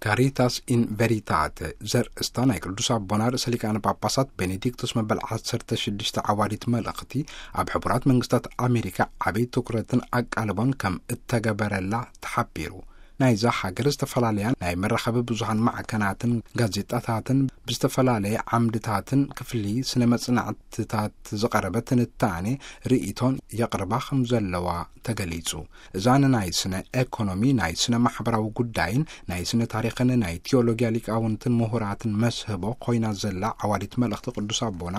ካሪታስ ኢን ቨሪታተ ዘርእስታ ናይ ቅዱስ ኣቦና ርእሰ ሊቃነ ጳጳሳት ቤኔዲክቶስ መበል ዓሰርተ ሽዱሽተ ዓዋዲት መልእኽቲ፣ ኣብ ሕቡራት መንግስታት ኣሜሪካ ዓብይ ትኩረትን ኣቃልቦን ከም እተገበረላ ተሓቢሩ። ናይዛ ሃገር ዝተፈላለያ ናይ መራኸቢ ብዙሃን ማዕከናትን ጋዜጣታትን ብዝተፈላለየ ዓምድታትን ክፍሊ ስነ መጽናዕትታት ዝቐረበ ትንታኔ ርእይቶን የቕርባ ከም ዘለዋ ተገሊጹ። እዛ ንናይ ስነ ኤኮኖሚ፣ ናይ ስነ ማሕበራዊ ጉዳይን ናይ ስነ ታሪኽን ናይ ቲዮሎጊያ ሊቃውንትን ምሁራትን መስህቦ ኮይና ዘላ ዓዋዲት መልእኽቲ ቅዱስ ኣቦና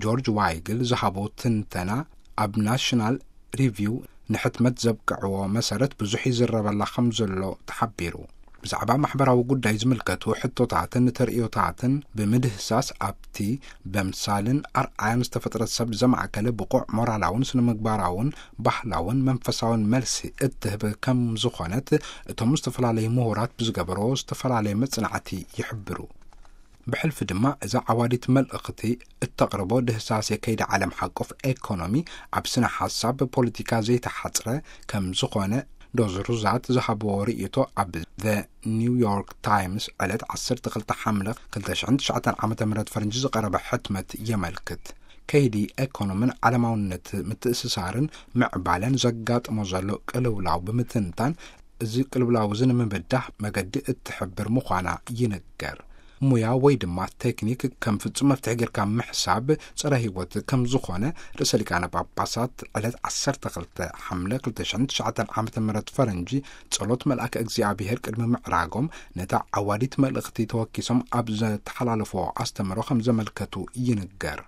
ጆርጅ ዋይግል ዝሃቦ ትንተና ኣብ ናሽናል ሪቪው ንሕትመት ዘብቅዕዎ መሰረት ብዙሕ ይዝረበላ ከም ዘሎ ተሓቢሩ። ብዛዕባ ማሕበራዊ ጉዳይ ዝምልከቱ ሕቶታትን ተርእዮታትን ብምድህሳስ ኣብቲ በምሳልን ኣርኣያን ዝተፈጥረት ሰብ ዘማእከለ ብቑዕ ሞራላውን ስነ ምግባራውን ባህላውን መንፈሳውን መልሲ እትህብ ከም ዝኾነት እቶም ዝተፈላለዩ ምሁራት ብዝገበሮ ዝተፈላለየ መጽናዕቲ ይሕብሩ። ብሕልፊ ድማ እዛ ዓዋዲት መልእኽቲ እተቕርቦ ድህሳሴ ከይዲ ዓለም ሓቆፍ ኤኮኖሚ ኣብ ስነ ሓሳብ ፖለቲካ ዘይተሓጽረ ከም ዝኾነ ዶዝ ሩዛት ዝሃብዎ ርእይቶ ኣብ ዘ ኒውዮርክ ታይምስ ዕለት ዓሰርተ ክልተ ሓምለ ክልተ ሽሕን ትሽዓተን ዓመተ ምህረት ፈረንጂ ዝቐረበ ሕትመት የመልክት። ከይዲ ኤኮኖምን ዓለማውነት ምትእስሳርን ምዕባለን ዘጋጥሞ ዘሎ ቅልውላው ብምትንታን፣ እዚ ቅልውላው እዚ ንምብዳህ መገዲ እትሕብር ምዃና ይንገር። ሙያ ወይ ድማ ቴክኒክ ከም ፍጹም መፍትሒ ጌርካ ምሕሳብ ጸረ ህይወት ከም ዝኾነ ርእሰ ሊቃነ ጳጳሳት ዕለት ዓሰርተ ክልተ ሓምለ ክልተ ሽሕን ትሽዓተን ዓመተ ምህረት ፈረንጂ ጸሎት መልኣከ እግዚኣብሔር ቅድሚ ምዕራጎም ነታ ዓዋዲት መልእኽቲ ተወኪሶም ኣብ ዘተሓላለፎ ኣስተምህሮ ከም ዘመልከቱ ይንገር።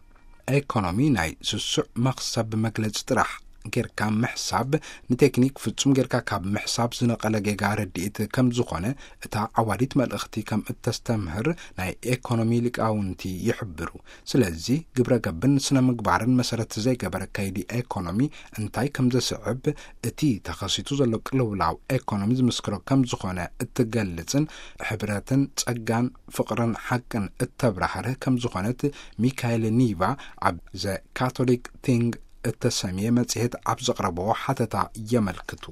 ኤኮኖሚ ናይ ስሱዕ መኽሰብ መግለጺ ጥራሕ ጌርካ ምሕሳብ ንቴክኒክ ፍጹም ጌርካ ካብ ምሕሳብ ዝነቐለ ጌጋ ረድኢት ከም ዝኾነ እታ ዓዋዲት መልእኽቲ ከም እተስተምህር ናይ ኤኮኖሚ ሊቃውንቲ ይሕብሩ። ስለዚ ግብረ ገብን ስነ ምግባርን መሰረት ዘይገበረ ከይዲ ኤኮኖሚ እንታይ ከም ዘስዕብ እቲ ተኸሲቱ ዘሎ ቅልውላው ኤኮኖሚ ዝምስክሮ ከም ዝኾነ እትገልጽን ሕብረትን ጸጋን ፍቕርን ሓቅን እተብራህርህ ከም ዝኾነት ሚካኤል ኒቫ ኣብ ዘ ካቶሊክ ቲንግ እተሰምየ መጽሔት ኣብ ዘቕረብዎ ሓተታ የመልክቱ።